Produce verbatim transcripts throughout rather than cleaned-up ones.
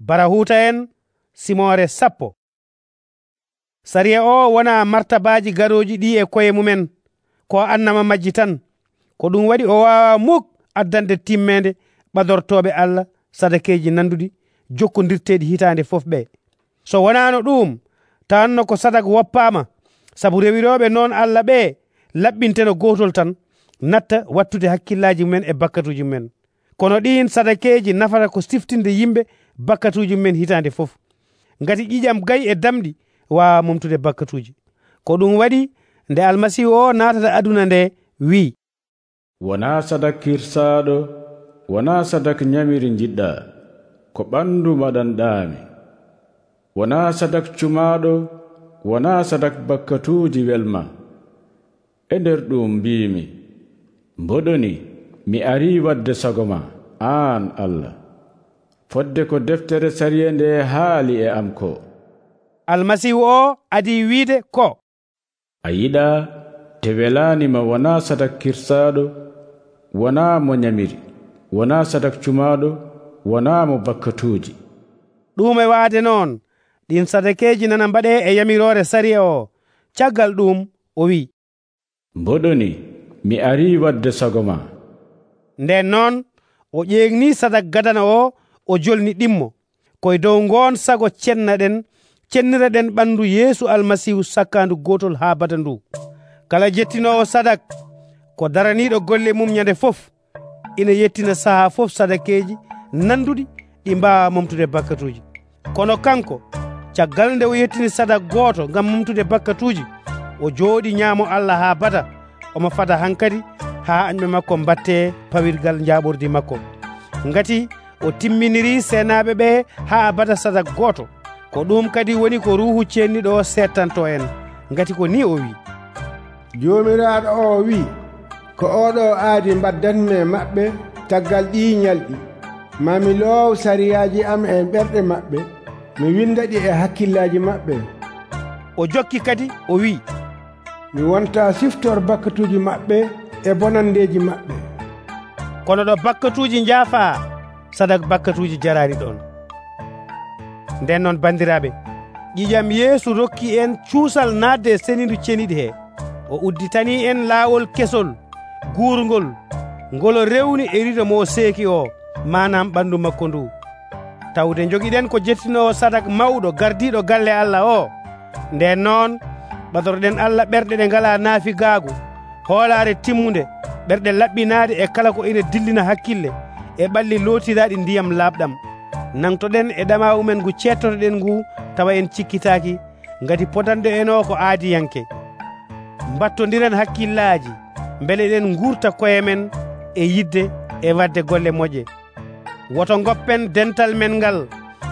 Barahuta en simore sappo. Sariya o wona martabaji garoji ɗi e koye mumen ko annama majji tan, ko ɗum waɗi o wawa muk addande timmede ɓadortoɓe Allah sadakeji nanduɗi jokkodirteɗi hitande fof ɓe. So wonano ɗum tawanno ko sadak woppama, sabu rewiroɓe noon Allah ɓe laɓɓinteno gotol tan natta wattude hakkillaji mumen e bakkatuji mumen. Kono ɗin sadakeji nafata ko siftinde yimɓe bakkatuji mumen hitande fof, ngati ƴiƴam gayi e damɗi wawa momtude bakkatuji. Ko ɗum waɗi nde almasihu o natata aduna nde wi, wona sadak kirsaɗo, wona sadak nyamiri jiɗɗa, ko ɓandu maɗanɗami. Wona sadak cumaɗo, wona sadak bakkatuji welma. E nder ɗum mbimi, mboɗoni mi ari wadde sago ma, an Allah. Fodde ko deftere sariya nde haali e am ko. Almasihu o adi wiide ko, a yiɗa te welanima wona sadak kirsaɗo, wona mo nyamiri, wona sadak cumaɗo, wona mo bakkatuji. ɗum e waade noon ɗin sadakeji nana mbaɗe e yamirore sariya o. Caggal ɗum o wi, mboɗoni mi ari wadde sago ma. Nden noon o ƴeegni sadak gadana o o jolni ɗimmo koye dow ngon sago cennaɗen cenniraɗen ɓandu Yeesu almasihu sakkandu gotol ha bada ndu. Kala jettinowo sadak ko daraniɗo golle mum nyande fof ina yettina saha fof sadakeji nanduɗi ɗi mbawa momtude bakkatuji. Kono kanko caggal nde o yettini sadak goto ngam momtude bakkatuji, o jooɗi ñaamo Allah ha bada, omo fada hankadi ha añɓe makko mbatte pawirgal jaɓordi makko, ngati o timminiri senaɓe ɓe ha bada sadak goto. Ko ɗum kadi woni ko ruhu cenniɗo o settanto en, ngati ko ni o wi, jomiraɗo o wi, ko oɗo aadi mbaddanmi maɓɓe taggal ɗi ñalɗi. Mami loow sariyaji am e ɓerɗe maɓɓe, mi windaɗi e hakkillaji maɓɓe. O jokki kadi o wi, mi wonta siftor bakkatuji maɓɓe e bonandeji maɓɓe. Kono ɗo bakkatuji jaafa, sadak bakkatuji jarani ɗon. Nden noon bandiraɓe, ƴiƴam Yeesu rokki en cuusal nadde e senindu ceniɗi he. O udditani en laawol kesol guurgol ngol rewni e rido mo seeki o, manam ɓandu makko ndu. Tawde jogiɗen ko jettinowo sadak mawɗo gardiɗo galle Allah o. Nden noon ɓadorɗen Allah ɓerɗe ɗe ngala naafigaagu, hoolare timmude, ɓerɗe laɓɓinaade e kala ko ina dillina hakkille, e ɓalli lootiraɗi ndiyam laaɓɗam. Nangtoɗen e ɗama umen ngu cettotoɗen ngu tawa en cikkitaaki, ngati podanɗo en o ko aadiyanke. Mbattodiren hakkillaji beele eɗen gurta koye men e yidde e wadde golle moƴƴe. Woto goppen dental men ngal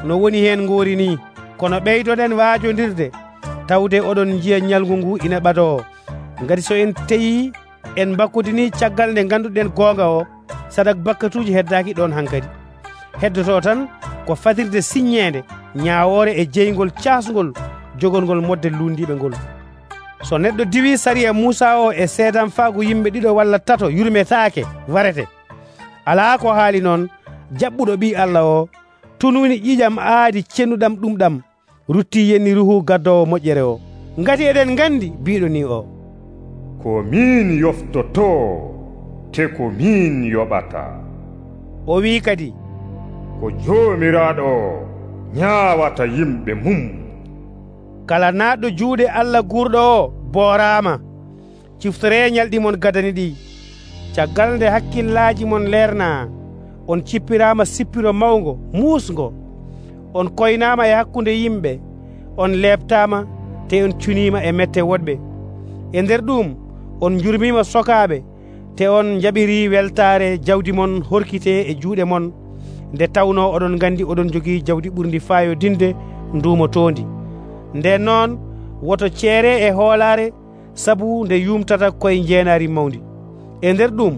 no woni hen ngori ni, kono ɓeydoɗen waajodirde tawde oɗon jiya ñalgu ngu ina ɓado. Ngati so en teyi en bakkudini caggal nde ganduɗen gonga o, sadak bakkatuji heddaki ɗon hankadi. Heddoto tan ko fadirde siññede ñawore e jeygol casgol jogolgol modde lundiɓe ngol. So neɗɗo diwi sariya Musa o e seedam faagu yimɓe ɗiɗo walla tato yurmetaake warete, ala ko haali noon jaɓɓuɗo ɓi Allah o tununi ƴiƴam aadi cennuɗam ɗum ɗam rutti yenni ruhu gaddowo moƴƴere o. Ngati eɗen gandi biɗo ni o, ko min yoftoto te ko min yoɓata. O wi kadi, ko jomiraɗo ñaawata yimɓe mum. Kala naɗɗo juuɗe Allah gurɗo o boorama, ciftore ñalɗi mon gadani ɗi. Caggal nde hakkillaji mon leerna, on cippirama sippiro mawgo muusgo, on koynama e hakkunde yimɓe, on leɓtama te on cunima e mette woɗɓe. E nder ɗum on jurmima sokaɓe, te on jaɓiri weltare jawdi mon horkite e juuɗe mon, nde tawno oɗon gandi oɗon jogii jawdi ɓurdi fayodinde ndumotondi. Nden noon woto ceere e hoolare, sabu nde yumtata koye jeenari mawdi. E nder ɗum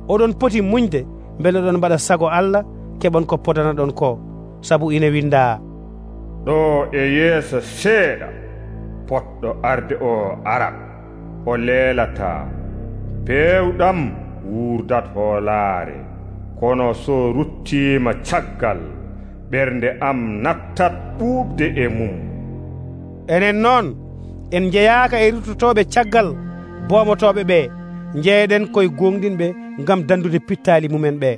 oɗon poti muñde beele oɗon mbaɗa sago Allah, keɓon ko podana ɗon ko, sabu ina winda, ɗo e yeeso seeɗa poɗɗo arde o ara, o leelata, pewɗam wurdat hoolare, kono so ruttima caggal ɓernde am nattat ɓuuɓde e mum. Enen noon en jeyaaka e rutotoɓe caggal bomotoɓe ɓe, jeeɗen koye gonɗinɓe ngam dandude pittaali mumen ɓe.